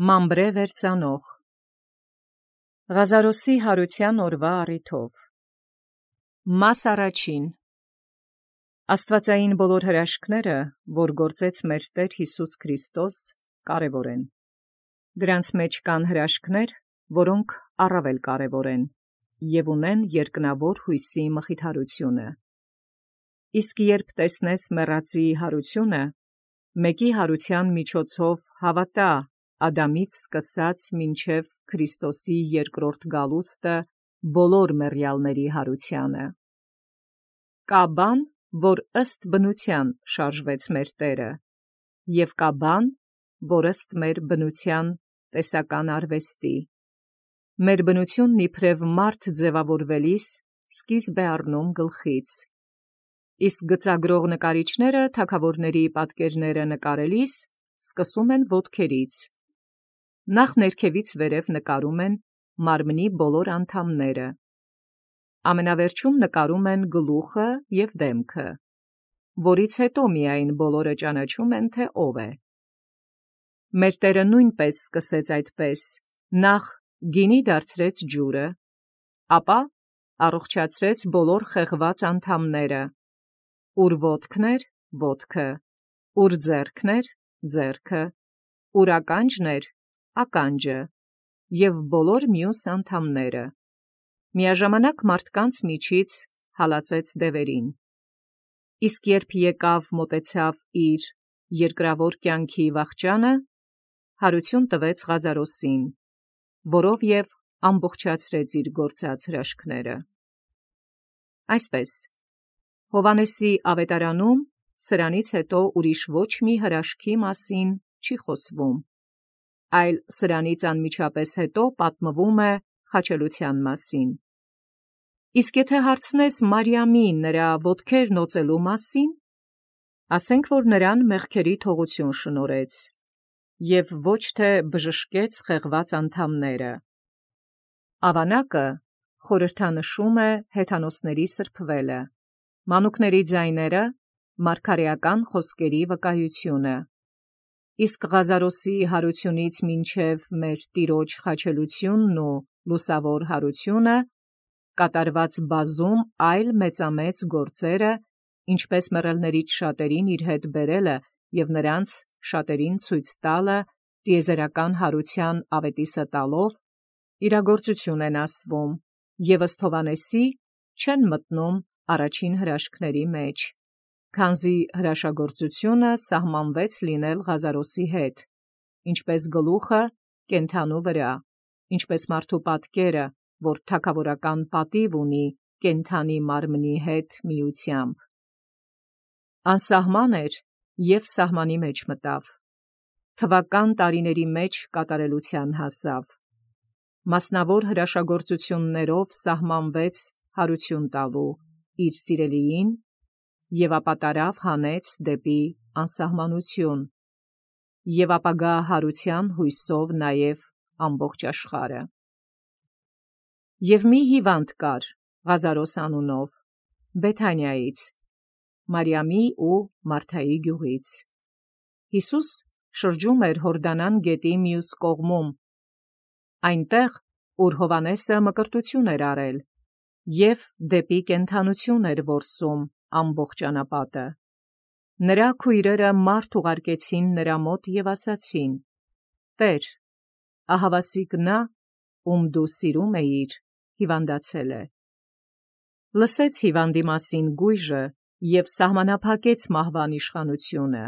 Մամբրե վերծանող Ղազարոսի հարության օրվա առիթով Մաս առաջին Աստվածային բոլոր հրաշքները, որ գործեց մեր Տեր Հիսուս Քրիստոս, կարևոր են։ Դրանց մեջ կան հրաշքներ, որոնք առավել կարևոր են, և ունեն երկնավոր հույսի մխիթարությունը։ Իսկ երբ տեսնես մեռածի հարությունը, մեկի հարության միջոցով հավատա Ադամից սկսած մինչև Քրիստոսի երկրորդ գալուստը բոլոր մեռյալների հարությանը։ Կա բան, որ ըստ բնության շարժվեց մեր Տերը, և կա բան, որ ըստ մեր բնության տեսական արվեստի։ Մեր բնությունն իբրև մարդ ձևավորվելիս սկիզբ է առնում գլխից, իսկ գծագրող նկարիչները թագավորների պատկերները նկարելիս սկսում են ոտքերից։ Նախ ներքևից վերև նկարում են մարմնի բոլոր անդամները, ամենավերջում նկարում են գլուխը և դեմքը, որից հետո միայն բոլորը ճանաչում են, թե ով է։ Մեր Տերը նույնպես սկսեց այդպես. նախ գինի դարձրեց ջուրը, ապա առողջացրեց բոլոր խեղված անդամները, ուր ոտքն էր, ոտքը, ուր ձեռքն էր, ձեռքը, ուր ականջն էր, ականջը, և բոլոր մյուս անդամները, միաժամանակ մարդկանց միջից հալածեց դևերին։ Իսկ երբ եկավ մոտեցավ իր երկրավոր կյանքի վախճանը, հարություն տվեց Ղազարոսին, որով և ամբողջացրեց իր գործած հրաշքները։ Այսպես, Հովհաննեսի ավետարանում սրանից հետո ուրիշ ոչ մի հրաշքի մասին չի խոսվում, այլ սրանից անմիջապես հետո պատմվում է խաչելության մասին։ Իսկ եթե հարցնես Մարիամի նրա ոտքերն օծելու մասին, ասենք, որ նրան մեղքերի թողություն շնորհեց, և ոչ թե բժշկեց խեղված անդամները։ Ավանակը խորհրդանշում է հեթանոսների սրբվելը, մանուկների ձայները, մարգարեական խոսքերի վկայությունը, իսկ Ղազարոսի հարությունից մինչև մեր Տիրոջ խաչելությունն ու լուսավոր հարությունը կատարված բազում այլ մեծամեծ գործերը, ինչպես մեռելներից շատերին իր հետ բերելը և նրանց շատերին ցույց տալը տիեզերական հարության ավետիսը տալով, իրագործություն են ասվում և ըստ Հովհաննեսի չեն մտնում առաջին հրաշքների մեջ, քանզի հրաշագործությունը սահմանվեց լինել Ղազարոսի հետ, ինչպես գլուխը կենդանու վրա, ինչպես մարդու պատկերը, որ թագավորական պատիվ ունի կենդանի մարմնի հետ միությամբ։ Անսահման էր և սահմանի մեջ մտավ, թվական տարիների մեջ կատարելության հասավ, մասնավոր հրաշագործություններով սահմանվեց հարություն տալու իր սիրելիին և ապա տարավ հանեց դեպի անսահմանություն և ապագա հարության հույսով նաև ամբողջ աշխարհը։ Եվ մի հիվանդ կար Ղազարոս անունով, Բեթանիայից, Մարիամի ու Մարթայի գյուղից։ Հիսուս շրջում էր Հորդանան գետի մյուս կողմում, այնտեղ, ուր Հովհաննեսը մկրտություն էր արել, և դեպի կենդանություն էր որսում ամբողջ անապատը։ Նրա քույրերը մարդ ուղարկեցին նրա մոտ և ասացին. «Տեր, ահավասիկ նա, ում դու սիրում էիր, հիվանդացել է»։ Լսեց հիվանդի մասին գույժը և սահմանափակեց մահվան իշխանությունը,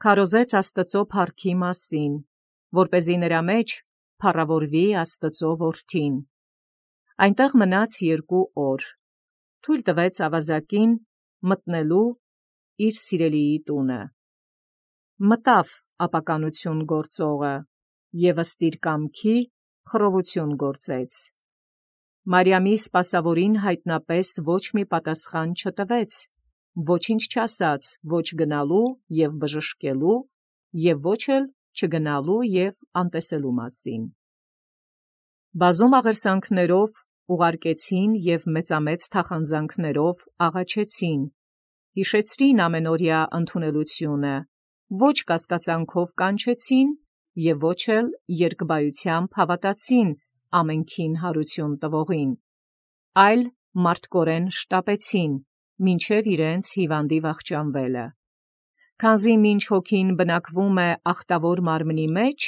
քարոզեց Աստծո փառքի մասին, որպեսզի նրա մեջ փառավորվի Աստծո որդին։ Այնտեղ մնաց 2 օր, թույլ տվեց ավազակին մտնելու իր սիրելիի տունը։ Մտավ ապականություն գործողը և ըստ իր կամքի խռովություն գործեց։ Մարիամի սպասավորին հայտնապես ոչ մի պատասխան չտվեց, ոչինչ չասաց ոչ գնալու և բժշկելու, և ոչ էլ չգնալու և անտեսելու մասին։ Բազում աղերսանքներով ուղարկեցին և մեծամեծ թախանձանքներով աղաչեցին, հիշեցրին ամենօրյա ընդունելությունը, ոչ կասկածանքով կանչեցին եւ ոչ էլ երկբայությամբ հավատացին ամենքին հարություն տվողին, այլ մարդկորեն շտապեցին, մինչև իրենց հիվանդի վախճանվելը։ Քանզի մինչ հոգին բնակվում է ախտավոր մարմնի մեջ,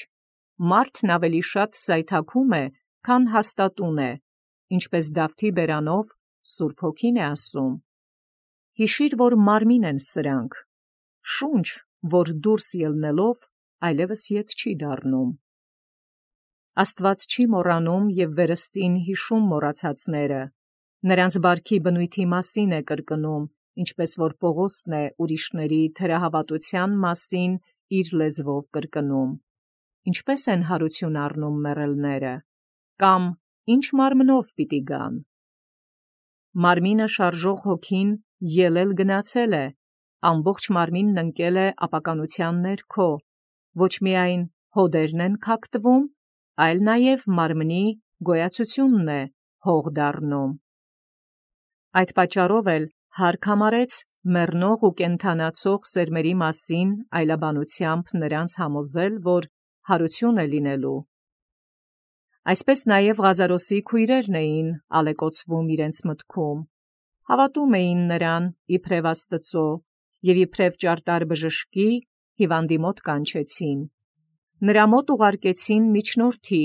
մարդն ավելի շատ սայթաքում է, քան հաստատուն է, ինչպես Դավթի բերանով Սուրբ Հոգին է ասում. «Հիշիր, որ մարմին են սրանք, շունչ, որ դուրս ելնելով այլևս ետ չի դառնում»։ Աստված չի մոռանում եւ վերստին հիշում մոռացածները, նրանց բարքի բնույթի մասին է կրկնում, ինչպես որ Պողոսն է ուրիշների թերահավատության մասին իր լեզվով կրկնում. ինչպես են հարություն առնում մեռելները, կամ ինչ մարմնով պիտի գան։ Մարմինը շարժող հոգին ելել գնացել է, ամբողջ մարմինն ընկել է ապականության ներքո, ոչ միայն հոդերն են քակտվում, այլ նաև մարմնի գոյացությունն է հող դառնում։ Այդ պատճառով էլ հարկ համարեց մեռնող ու կենդանացող սերմերի մասին այլաբանությամբ նրանց համոզել, որ հարություն է լինելու։ Այսպես նաև Ղազարոսի քույրերն էին ալեկոծվում իրենց մտքում, հավատում էին նրան իբրև Աստծո և իբրև ճարտար բժշկի հիվանդի մոտ կանչեցին, նրա մոտ ուղարկեցին միջնորդի,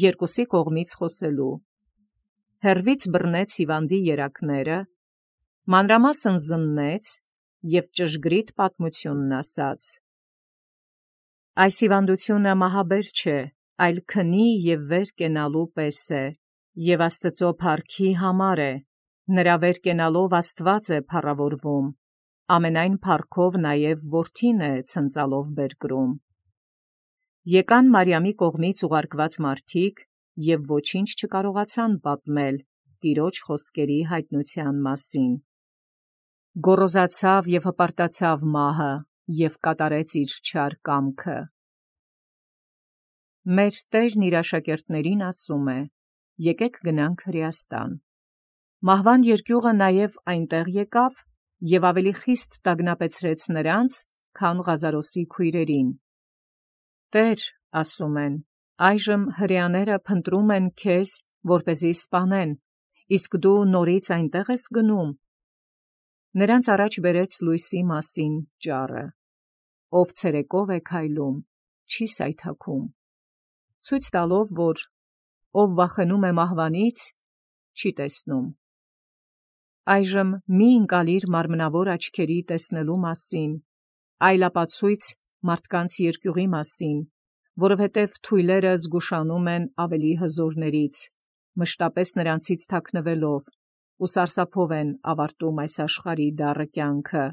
երկուսի կողմից խոսելու։ Հեռվից բռնեց հիվանդի երակները, մանրամասն զննեց և ճշգրիտ պատմությունն ասաց. «Այս հիվանդությունը մահաբեր չէ, այլ քնի և վեր կենալու պես է, և Աստծո փառքի համար է, նրա վեր կենալով Աստված է փառավորվում, ամենայն փառքով նաև որդին է ցնծալով բերկրում»։ Եկան Մարիամի կողմից ուղարկված մարդիկ և ոչինչ չկարողացան պատմել Տիրոջ խոսքերի հայտնության մասին։ Գոռոզացավ և հպարտացավ մահը և կատարեց իր չար կամքը։ Մեր Տերն իր աշակերտներին ասում է. «Եկեք գնանք Հրեաստան»։ Մահվան երկյուղը նաև այնտեղ եկավ և ավելի խիստ տագնապեցրեց նրանց, քան Ղազարոսի քույրերին։ «Տե՛ր, ասում են, այժմ հրեաները փնտրում են քեզ, որպեսզի սպանեն, իսկ դու նորից այնտեղ ես գնում»։ Նրանց առաջ բերեց լույսի մասին ճառը, ով ցերեկով է քայլում, չի սայթաքում, ցույց տալով, որ ով վախենում է մահվանից, չի տեսնում։ Այժմ մի ընկալիր մարմնավոր աչքերի տեսնելու մասին, այլ ապացույց մարդկանց երկյուղի մասին, որովհետև թույլերը զգուշանում են ավելի հզորներից, մշտապես նրանցից թաքնվելով, ու սարսափով են ավարտում այս աշխարհի դառը կյանքը։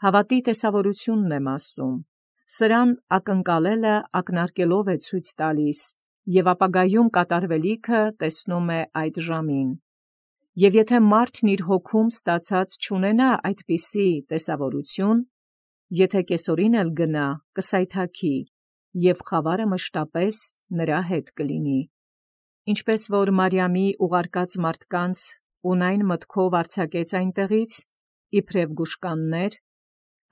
Հավատի տեսավորությունն եմ ասում, սրան ակնկալելը ակնարկելով է ցույց տալիս, և ապագայում կատարվելիքը տեսնում է այդ ժամին։ Եվ եթե մարդն իր հոգում ստացած չունենա այդպիսի տեսավորություն, եթե կեսօրին էլ գնա, կսայթաքի, և խավարը մշտապես նրա հետ կլինի։ Ինչպես որ Մարիամի ուղարկած մարդկանց ունայն մտքով արձակեց այնտեղից, իբրև գուշկաններ,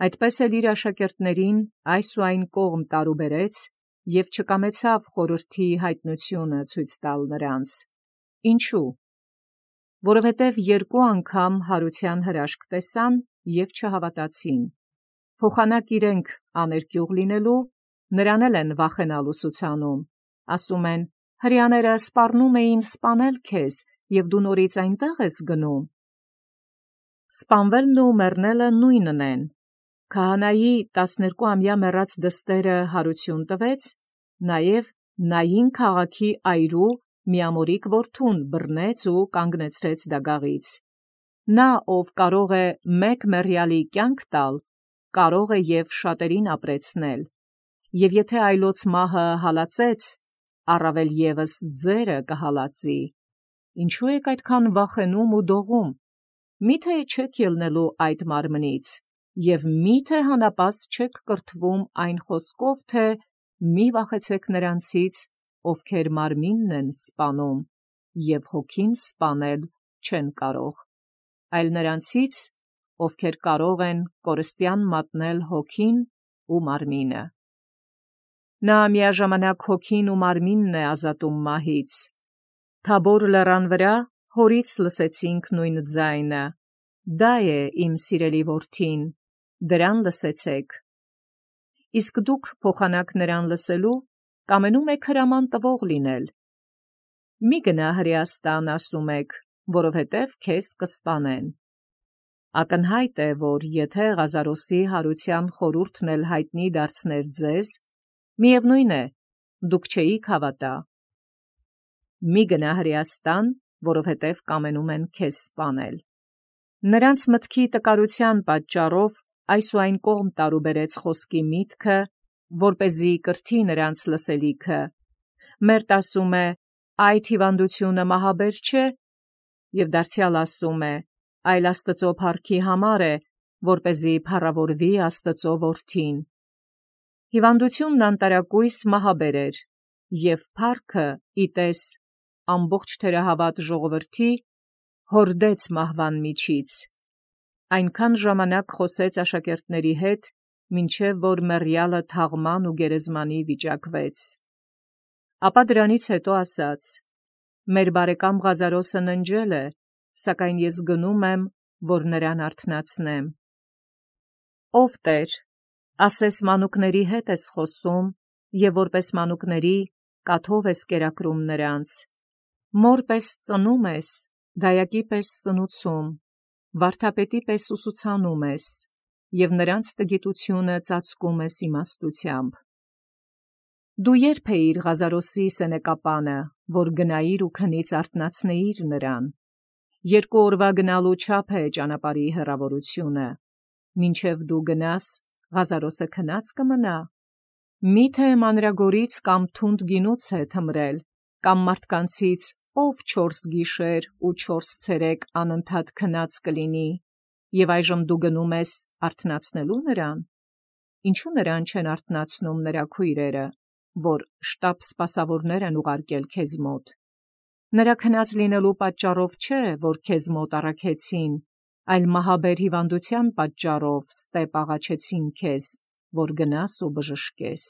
այդպես էլ իր աշակերտներին այս ու այն կողմ տարուբերեց և չկամեցավ խորհրդի հայտնությունը ցույց տալ նրանց։ Ինչու՞։ Որովհետև երկու անգամ հարության հրաշք տեսան և չհավատացին։ Փոխանակ իրենք աներկյուղ լինելու, նրան էլ են վախենալ ուսուցանում, ասում են. «Հրեաները սպառնում էին սպանել քեզ, և դու նորից այնտեղ ես գնում»։ Սպանվելն ու մեռնելը նույնն են։ Քահանայի 12-ամյա մեռած դստերը հարություն տվեց, նաև Նային քաղաքի այրու միամորիկ որդուն բռնեց ու կանգնեցրեց դագաղից։ Նա, ով կարող է մեկ մեռյալի կյանք տալ, կարող է և շատերին ապրեցնել, և եթե այլոց մահը հալածեց, առավել ևս ձերը կհալածի։ Ինչու եք այդքան վախենում ու դողում։ Մի՞թե չեք ելնելու այդ մարմնից, և մի՞թե հանապազդ չեք կրթվում այն խոսքով, թե «Մի վախեցեք նրանցից, ովքեր մարմինն են սպանում, և հոգին սպանել չեն կարող, այլ նրանցից, ովքեր կարող են կորստյան մատնել հոգին ու մարմինը»։ Նա միաժամանակ հոգին ու մարմինն է ազատում մահից։ Թաբոր լեռան վրա հորից լսեցինք նույն ձայնը. «Դա է իմ սիրելի որդին, դրան լսեցեք»։ Իսկ դուք փոխանակ նրան լսելու կամենում եք հրաման տվող լինել։ Մի գնա Հրեաստան, ասում եք, որովհետև քեզ կսպանեն։ Ակնհայտ է, որ եթե Ղազարոսի հարության խորհուրդն էլ հայտնի դարձներ ձեզ, միևնույն է, դուք չէիք հավատա։ Մի գնա Հրեաստան, որովհետև կամենում են քեզ սպանել։ Նրանց մտքի տկարության պատճառով այս ու այն կողմ տարուբերեց խոսքի միտքը, որպեսզի կրթի նրանց լսելիքը։ Մերտ ասում է, այդ հիվանդությունը մահաբեր չէ, և դարձյալ ասում է, այլ Աստծո փառքի համար է, որպեսզի փառավորվի Աստծո որդին։ Հիվանդությունն անտարակույս մահաբեր էր, և փառքը, իտես, ամբողջ թերահավատ ժողովրդի հորդեց մահվան միջից։ Այնքան ժամանակ խոսեց աշակերտների հետ, մինչև որ մեռյալը թաղման ու գերեզմանի վիճակվեց։ Ապա դրանից հետո ասաց. «Մեր բարեկամ Ղազարոսը ննջել է, սակայն ես գնում եմ, որ նրան արթնացնեմ»։ Ով Տեր, ասես մանուկների հետ ես խոսում, և որպես մանուկների կաթով ես կերակրում նրանց։ Մոր պես ծնում ես, դայակի պես սնուցում, վարդապետի պես ուսուցանում ես, և նրանց տգիտությունը ծածկում ես իմաստությամբ։ Դու երբ էիր Ղազարոսի սենեկապանը, որ գնայիր ու քնից արթնացնեիր նրան։ 2 օրվա գնալու չափ է ճանապարհի հեռավորությունը։ Մինչև դու գնաս, Ղազարոսը քնած կմնա։ Միթե մանրագորից կամ թունդ գինուց է թմրել, կամ մարդկանցից ով 4 գիշեր ու 4 ցերեկ անընդհատ քնած կլինի, և այժմ դու գնում ես արթնացնելու նրան։ Ինչու նրան չեն արթնացնում նրա քույրերը, որ շտապ սպասավորներ են ուղարկել քեզ մոտ։ Նրա քնած լինելու պատճառով չէ, որ քեզ մոտ առաքեցին, այլ մահաբեր հիվանդության պատճառով ստեպ աղաչեցին քեզ, որ գնաս ու բժշկես։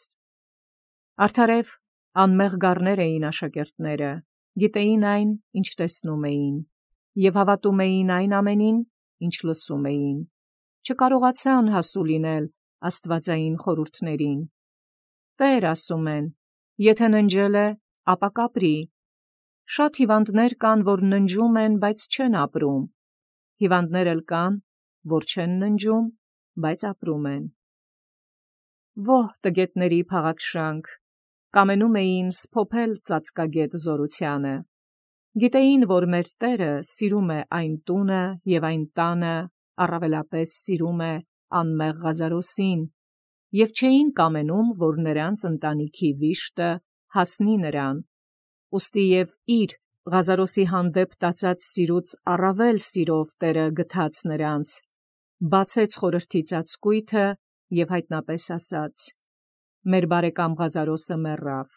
Արդարև անմեղ գառներ էին աշակերտները, գիտեին այն, ինչ տեսնում էին, և հավատում էին այն ամենին, ինչ լսում էին, չկարողացան հասու լինել աստվածային խորհուրդներին։ Տեր, ասում են, եթե ննջել է, ապա կապրի։ Շատ հիվանդներ կան, որ ննջում են, բայց չեն ապրում։ Հիվանդներ էլ կան, որ չեն ննջում, բայց ապրում են։ Ո՛հ տգետների փաղաքշանք, կամենում էին սփոփել ծածկագետ զորությանը։ Գիտեին, որ մեր Տերը սիրում է այն տունը և այն տանը, առավելապես սիրում է անմեղ Ղազարոսին, և չէին կամենում, որ նրանց ընտանիքի վիշտը հասնի նրան։ Ուստի և իր Ղազարոսի հանդեպ տածած սիրուց առավել սիրով Տերը գթաց նրանց, բացեց խորհրդի ծածկույթը և հայտնապես ասաց. «Մեր բարեկամ Ղազարոսը մեռավ»։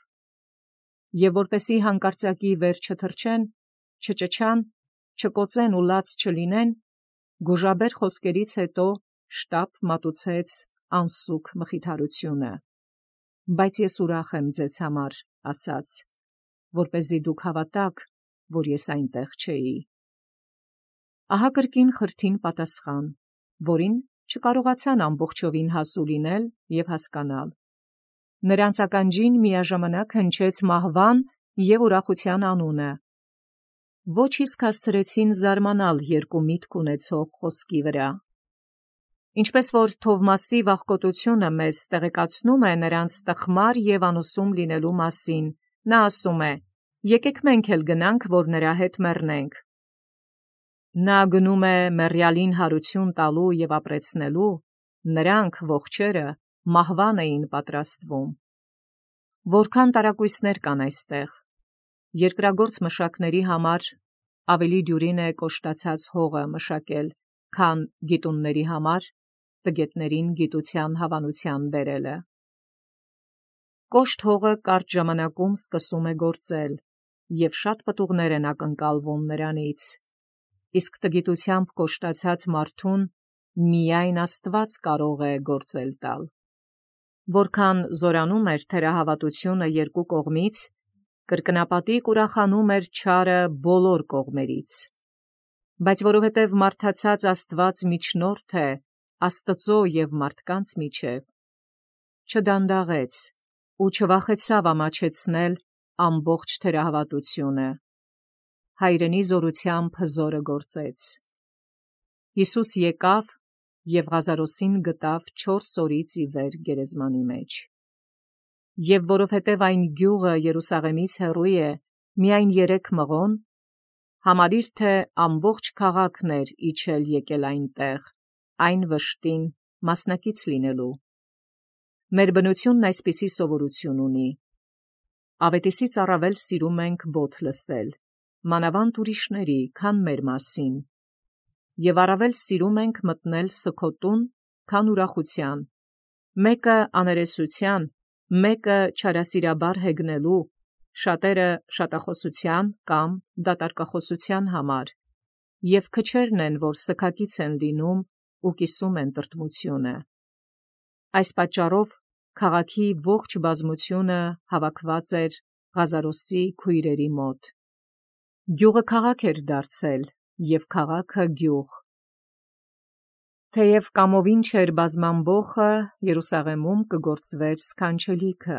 Եվ որպեսի հանկարծակի վեր չթռչեն, չճչան, չկոծեն ու լաց չլինեն, գուժաբեր խոսքերից հետո շտապ մատուցեց անսուք մխիթարությունը։ Բայց ես ուրախ եմ ձեզ համար, ասաց, որպեսզի դուք հավատաք, որ ես այնտեղ չէի։ Ահա կրկին խրթին պատասխան, որին չկարողացան ամբողջովին հասու լինել և հասկանալ։ Նրանց ականջին միաժամանակ հնչեց մահվան և ուրախության անունը։ Ոչ իսկ հասցրեցին զարմանալ երկու միտք ունեցող խոսքի վրա։ Ինչպես որ Թովմասի վախկոտությունը մեզ տեղեկացնում է նրանց տխմար և անուսում լինելու մասին, նա ասում է. «Եկեք մենք էլ գնանք, որ նրա հետ մեռնենք»։ Նա գնում է մեռյալին հարություն տալու և ապրեցնելու, նրանք, ողջերը, մահվան էին պատրաստվում։ Որքան տարակույսներ կան այստեղ։ Երկրագործ մշակների համար ավելի դյուրին է կոշտացած հողը մշակել, քան գիտունների համար տգետներին գիտության հավանության բերելը։ Կոշտ հողը կարճ ժամանակում սկսում է գործել, և շատ պտուղներ են ակնկալվում նրանից, իսկ տգիտությամբ կոշտացած մարդուն միայն Աստված կարող է գործել տալ։ Որքան զորանում էր թերահավատությունը երկու կողմից, կրկնապատիկ ուրախանում էր չարը բոլոր կողմերից։ Բայց որովհետև մարդացած Աստված միջնորդ է Աստծո և մարդկանց միջև, չդանդաղեց ու չվախեցավ ամաչեցնել ամբողջ թերահավատությունը, հայրենի զորությամբ հզորը գործեց։ Հիսուս եկավ և Ղազարոսին գտավ 4 օրից ի վեր գերեզմանի մեջ։ Եվ որովհետև այն գյուղը Երուսաղեմից հեռու է միայն 3 մղոն, համարիր թե ամբողջ քաղաքն էր իջել եկել այնտեղ, այն վշտին մասնակից լինելու։ Մեր բնությունն այսպիսի սովորություն ունի. ավետիսից առավել սիրում ենք բոթ լսել, մանավանդ ուրիշների, քան մեր մասին, և առավել սիրում ենք մտնել սգոտուն, քան ուրախության, մեկը աներեսության, մեկը չարասիրաբար հեգնելու, շատերը շատախոսության կամ դատարկախոսության համար, և քչերն են, որ սգակից են լինում ու կիսում են տրտմությունը։ Այս պատճառով քաղաքի ողջ բազմությունը հավաքված էր Ղազարոսի քույրերի մոտ։ Գյուղը քաղաք էր դարձել, և քաղաքը գյուղ։ Թեև կամովին չէր բազման բոխը, Երուսաղեմում կգործվեր սքանչելիքը,